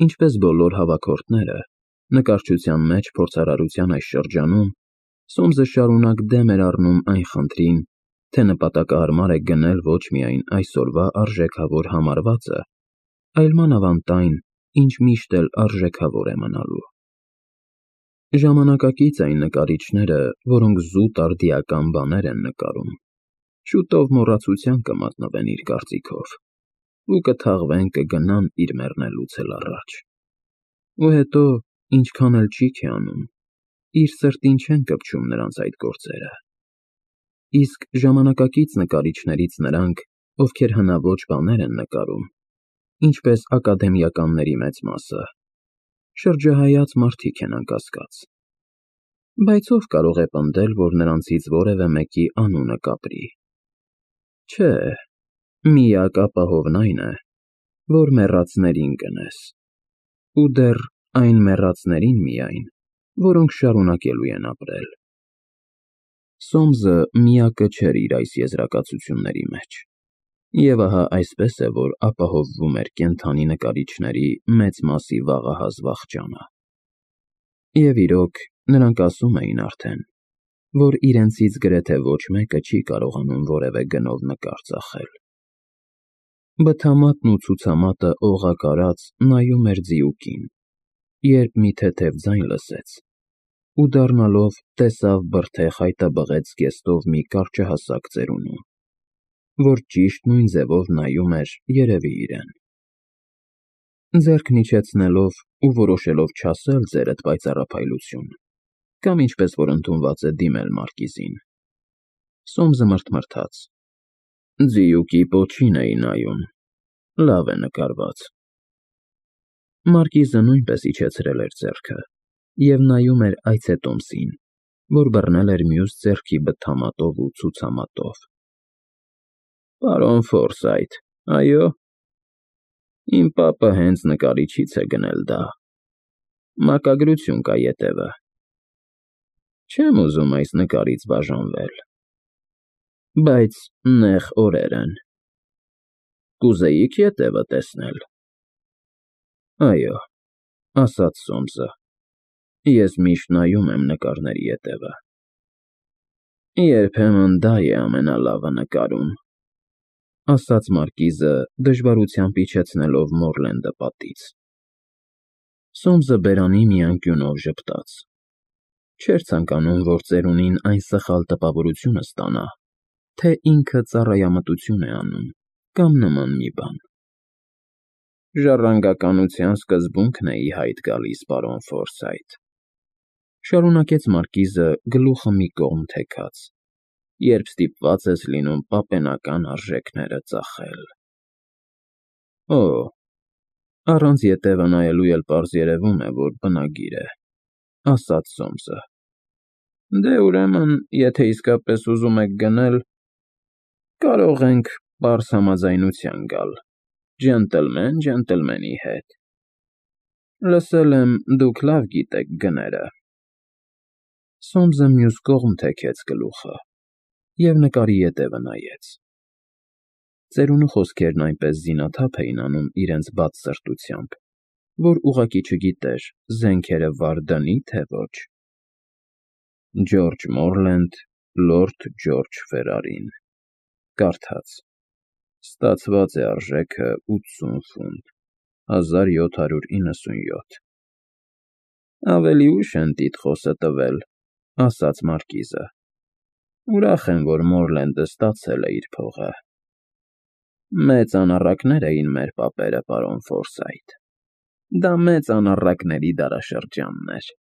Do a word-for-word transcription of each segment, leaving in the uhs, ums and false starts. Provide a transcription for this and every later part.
Ինչպես բոլոր հավաքորդները, նկարչության մեջ փորձարարության այս շրջանում, Սոմսը շարունակ դեմ էր առնում այն խնդրին, թե նպատակահարմար է գնել ոչ միայն այսօրվա արժեքավոր համարվածը, այլ մանավանդ այն, ինչ միշտ էլ արժեքավոր է մնալու։ Ժամանակակից այն նկարիչները, որոնք զուտ արդիական բաներ են նկարում, շուտով մոռացության կմատնվեն իր կարծիքով ու կթաղվեն կգնան իր մեռնելուց էլ առաջ։ Ու հետո, ինչքան էլ ճիք է անում, իր սրտին չեն կպչում նրանց այդ գործերը։ Իսկ ժամանակակից նկարիչներից նրանք, ովքեր հնաոճ բաներ են նկարում, ինչպես ակադեմիականների մեծ մասը, շրջահայաց մարդիկ են անկասկած։ Բայց ով կարող է պնդել, որ նրանցից որևէ մեկի անունը կապրի։ Չէ, միակ ապահովն այն է, որ մեռածներին գնես, ու դեռ այն մեռածներին միայն, որոնք շարունակելու են ապրել։ Սոմսը միակը չէր իր այս եզրակացությունների մեջ, և ահա այսպես է, որ ապահովվում էր կենդանի նկարիչների մեծ մասի վաղահաս վախճանը։ Եվ իրոք, նրանք ասում էին արդեն, որ իրենցից գրեթե ոչ մեկը չի կարողանում որևէ գնով նկար ծախել։ Բթամատն ու ցուցամատը օղակ արած նայում էր ձիուկին, երբ մի թեթև ձայն լսեց, ու դառնալով տեսավ բրդե խայտաբղեց զգեստով մի կարճահասակ ծերունու, որ ճիշտ նույն ձևով նայում էր երևի իրեն։ Ձեռքն իջեցնելով ու որոշելով չասել ձերդ պայծառափայլություն, կամ ինչպես որ ընդունված է դիմել մարկիզին, Սոմսը մրթմրթաց. Ձիուկի պոչին էի նայում, լավ է նկարված։ Մարկիզը նույնպես իջեցրել էր ձեռքը և նայում էր այցետոմսին, որ բռնել էր մյուս ձեռքի բթամատով ու ցուցամատով։ Պարոն Ֆորսայթ, այո։ Իմ պապը հենց նկարիչից է գնել դա։ Մակագրություն կա ետևը։ Չեմ ուզում այս նկարից բաժանվել։ Բայց նեղ օրեր են։ Կուզեի՞ք ետևը տեսնել։ Այո, ասաց Սոմսը, ես միշտ նայում եմ նկարների ետևը։ Երբեմն դա է ամենալավը նկարում, ասաց մարկիզը, դժվարությամբ իջեցնելով Մորլենդը պատից։ Սոմսը բերանի մի անկյունով ժպտաց։ Չէր ցանկանում, որ ծերունին այն սխալ տպավորությունը ստանա, թե ինքը ծառայամտություն է անում, կամ նման մի բան։ Ժառանգականության սկզբունքն է ի հայտ գալիս, պարոն Ֆորսայթ, շարունակեց մարկիզը գլուխը մի կողմ թեքած, երբ ստիպված ես լինում պապենական արժեքները ծախել։ Օ, առանց ետևը նայելու էլ պարզ երևում է, որ բնագիր է, ասաց Սոմսը։ Դե ուրեմն, եթե իսկապես ուզում եք գնել, կարող ենք պարզ համաձայնության գալ, ջենտլմեն ջենտլմենի հետ։ Լսել եմ, դուք լավ գիտեք գները։ Սոմսը մյուս կողմ թեքեց գլուխը և նկարի ետևը նայեց։ Ծերունու խոսքերն այնպես զինաթափ էին անում իրենց բաց սրտությամբ, որ ուղղակի չգիտեր զենքերը վար դնի, թե ոչ։ Ջորջ Մորլենդ, լորդ Ջորջ Ֆերարին, կարդաց. Ստացված է արժեքը ութսուն ֆունտ, հազար յոթ հարյուր իննսունյոթ։ Ավելի ուշ են տիտղոսը տվել, ասաց մարկիզը։ Ուրախ եմ, որ Մորլենդը ստացել է իր փողը։ Մեծ անառակներ էին մեր պապերը, պարոն Ֆորսայթ։ Դա մեծ անառակների դարաշրջանն էր։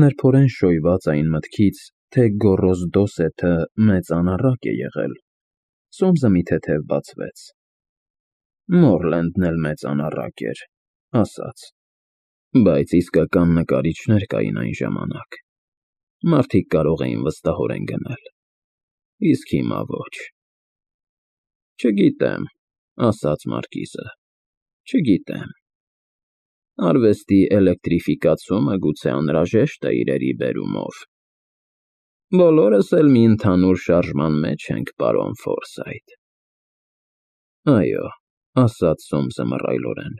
Նրբորեն շոյված այն մտքից, թե Գոռոզ Դոսեթը մեծ անառակ է եղել, Սոմսը մի թեթև բացվեց։ Մորլենդն էլ մեծ անառակ էր, ասաց։ Բայց իսկական նկարիչներ կային այն ժամանակ։ Մարդիկ կարող էին վստահորեն գնել, իսկ հիմա ոչ։ Չգիտեմ, ասաց մարկիզը, չգիտեմ։ Արվեստի էլեկտրիֆիկացումը գուցե անհրաժեշտ է իրերի բերումով։ Բոլորս էլ մի ընդհանուր շարժման մեջ ենք, պարոն Ֆորսայթ։ Այո, ասաց Սոմսը մռայլորեն։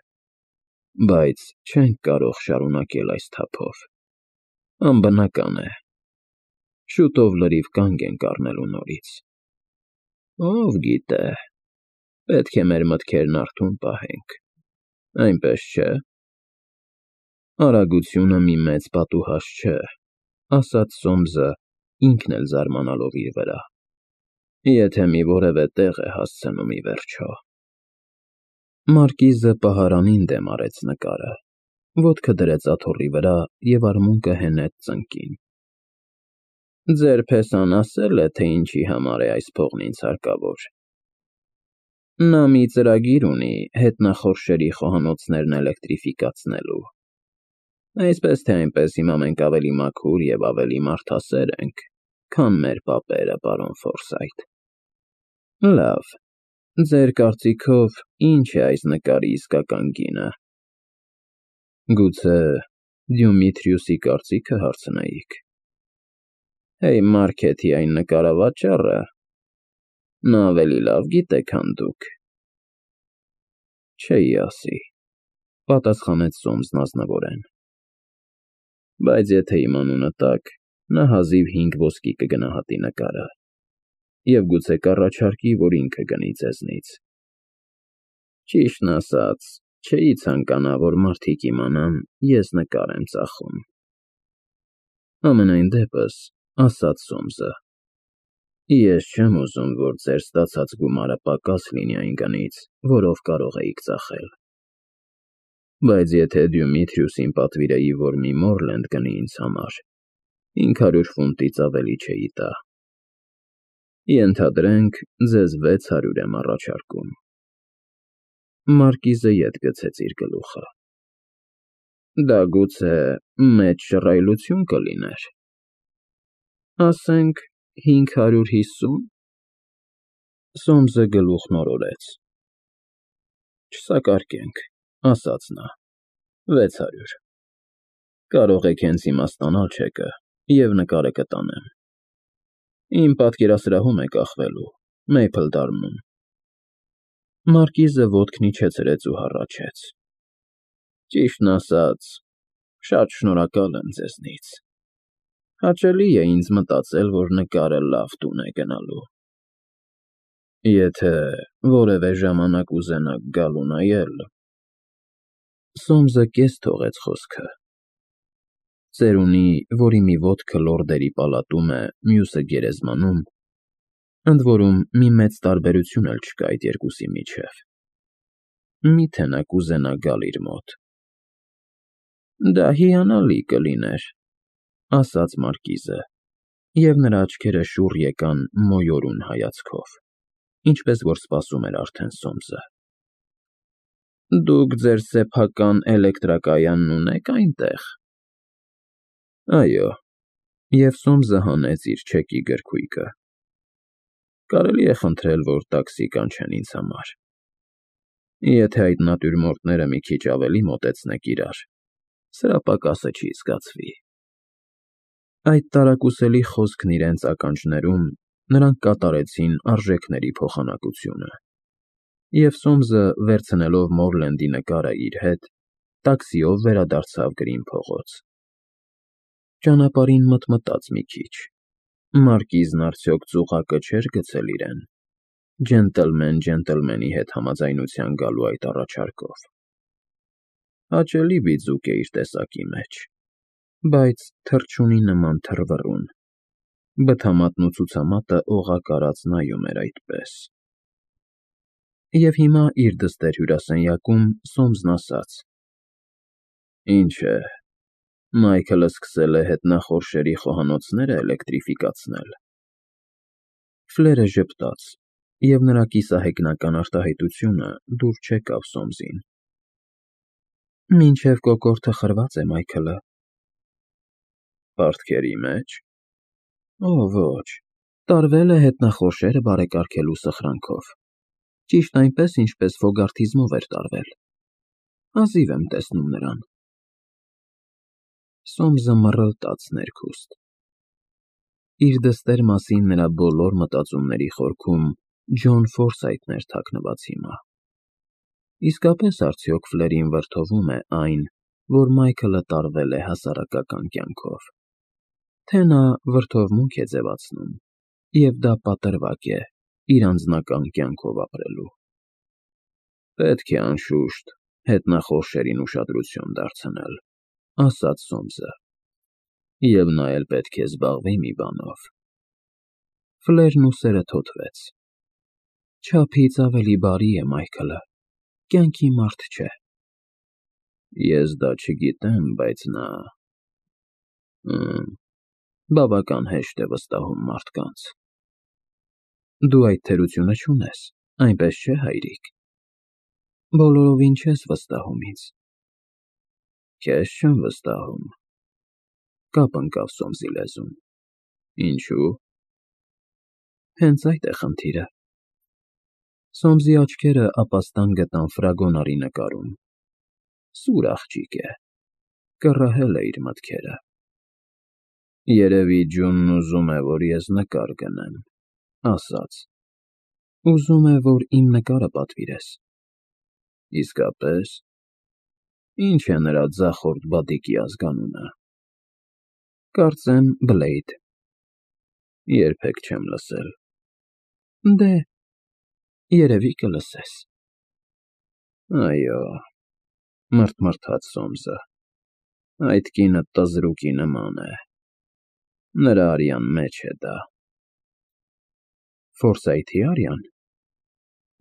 Բայց չենք կարող շարունակել այս թափով։ Անբնական է։ Շուտով լրիվ կանգ ենք առնելու նորից։ Ով գիտե, պետք է մեր մտքերն արթուն պահենք, այնպես չէ։ Արագությունը մի մեծ պատուհաս չէ, ասաց Սոմսը, ինքն էլ զարմանալով իր վրա, եթե մի որևէ տեղ է հասցնում ի վերջո։ Մարկիզը պահարանին դեմ արեց նկարը, ոտքը դրեց աթոռի վրա և արմունկը հենեց ծնկին։ Ձեր փեսան ասել է, թե ինչի համար է այս փողն ինձ հարկավոր։ Նա մի ծրագիր ունի հետնախորշերի խոհանոցներն էլեկտրիֆիկացնելու։ Այսպես թե այնպես հիմա մենք ավելի մաքուր և ավելի մարդասեր ենք, քան մեր պապերը, պարոն Ֆորսայթ։ Լավ, ձեր կարծիքով ինչ է այս նկարի իսկական գինը։ Գուցե Դյումիթրիուսի կարծիքը հարցնեիք։ Հեյ Մարքեթի այն նկարավաճառը, նա ավելի լավ գիտե, քան դուք։ Չէի ասի, պատասխանեց Սոմսն ազնվորեն։ Բայց եթե իմ անունը տաք, նա հազիվ հինգ ոսկի կգնահատի նկարը, և գուցե կառաջարկի, որ ինքը գնի ձեզնից։ Ճիշտն ասած, չէի ցանկանա, որ մարդիկ իմանան, ես նկար եմ ծախում։ Համենայն դեպս, ասաց Սոմսը, ես չեմ ուզում, որ ձեր ստացած գումարը պակաս լինի այն գնից, որով կարող էիք ծախել։ Բայց եթե Դյումիթրիուսին պատվիրեի, որ մի Մորլենդ գնի ինձ համար, հինգ հարյուր ֆունտից ավելի չէի տա։ Ենթադրենք, ձեզ վեց հարյուր եմ առաջարկում։ Մարկիզը ետ գցեց իր գլուխը։ Դա գուցե մեծ շռայլություն կլիներ։ Ասենք հինգ հարյուր հիսու՞ն։ Սոմսը գլուխն օրորեց։ Չսակարկենք, ասաց նա, վեց հարյուր։ Կարող եք հենց հիմա ստանալ չեկը, և նկարը կտանեմ։ Իմ պատկերասրահում է կախվելու, Մեյփլ Դարմում։ Մարկիզը ոտքն իջեցրեց ու հառաչեց։ Ճիշտն ասած, շատ շնորհակալ եմ ձեզնից։ Հաճելի է ինձ մտածել, որ նկարը լավ տուն է գնալու։ Եթե որևէ ժամանակ ուզենաք գալ ու նայել… Սոմսը կես թողեց խոսքը։ Ծերունի, որի մի ոտքը լորդերի պալատում է, մյուսը գերեզմանում, ընդ որում մի մեծ տարբերություն էլ չկա այդ երկուսի միջև։ Մի՞թե նա կուզենա գալ իր մոտ։ Դա հիանալի կլիներ, ասաց Մարկիզը, և նրա աչքերը շուռ եկան մոյորուն հայացքով, ինչպես որ սպասում էր արդեն Սոմսը։ Դուք ձեր սեփական էլեկտրակայանն ունե՞ք այնտեղ։ Այո, և Սոմսը հանեց իր չեկի գրքույկը։ Կարելի է խնդրել, որ տաքսի կանչեն ինձ համար։ Եթե այդ նատյուրմորտները մի քիչ ավելի մոտեցնեք իրար, սրա պակասը չի զգացվի։ Այդ տարակուսելի խոսքն իրենց ականջներում նրանք կատարեցին արժեքների փոխանակությունը, և Սոմսը, վերցնելով Մորլենդի նկարը իր հետ, տաքսիով վերադարձավ Գրին փողոց։ Ճանապարհին մտմտաց մի քիչ. Մարկիզն արդյոք ծուղակը չէր գցել իրեն, ջենտլմեն ջենտլմենի հետ համաձայնության գալու այդ առաջարկով։ Հաճելի բիձուկ է իր տեսակի մեջ, բայց թռչունի նման թռվռուն, բթամատն ու ցուցամատը օղակ արած նայում էր այդպես… Եվ հիմա իր դստեր հյուրասենյակում Սոմսն ասաց. Ինչ է, Մայքլը սկսել է հետնախորշերի խոհանոցները էլեկտրիֆիկացնել։ Ֆլերը ժպտաց, և նրա կիսահեգնական արտահայտությունը դուր չեկավ Սոմսին։ Մինչև կոկորդը խրված է, Մայքլը։ Պարտքերի մեջ։ Օ ոչ, տարվել է հետնախորշերը բարեկարգելու սխրանքով, ճիշտ այնպես, ինչպես Ֆոգարթիզմով էր տարվել։ Հազիվ եմ տեսնում նրան։ Սոմսը մռլտաց ներքուստ։ Իր դստեր մասին նրա բոլոր մտածումների խորքում Ջոն Ֆորսայթն էր թաքնված հիմա։ Իսկապես արդյոք Ֆլերին վրդովում է այն, որ Մայքլը տարվել է հասարակական կյանքով, թե նա վրդովմունք է ձևացնում, և դա պատրվակ է իր անձնական կյանքով ապրելու։ Պետք է, անշուշտ, հետնախորշերին ուշադրություն դարձնել, ասաց Սոմսը, և նա էլ պետք է զբաղվի մի բանով։ Ֆլերն ուսերը թոթվեց. չափից ավելի բարի է Մայքլը, կյանքի մարդ չէ։ Ես դա չգիտեմ, բայց նա… բավական հեշտ է վստահում մարդկանց։ Դու այդ թերությունը չունես, այնպես չէ՞, հայրիկ։ Բոլորովին չես վստահում ինձ։ Քեզ չեմ վստահում, կապ ընկավ Սոմսի լեզուն։ Ինչո՞ւ։ Հենց այդ է խնդիրը։ Սոմսի աչքերը ապաստան գտան ֆրագոնարի նկարում։ Սուր աղջիկ է, կռահել է իր մտքերը։ Երևի Ջունն ուզում է, որ ես նկար գնեմ, ասաց. Ուզում է, որ իմ նկարը պատվիրես։ Իսկապե՞ս։ Ի՞նչ է նրա ձախորդ բադիկի ազգանունը։ Կարծեմ Բլեյդ։ Երբեք չեմ լսել։ Դե, երևի կլսես։ Այո, մռթմռթաց Սոմսը, այդ կինը տզրուկի նման է, նրա արյան մեջ է դա։ Ֆորսայթի արյան։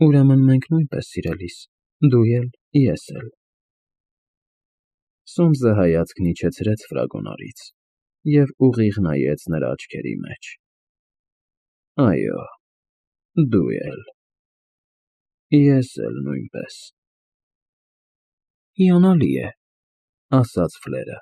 Ուրեմն մենք նույնպես սիրելիս, դու էլ, ես էլ։ Սոմսը հայացքն իջեցրեց ֆրագոնարից և ուղիղ նայեց նրա աչքերի մեջ։ Այո, դու էլ։ Ես էլ նույնպես։ Հիանալի է, ասաց Ֆլերը։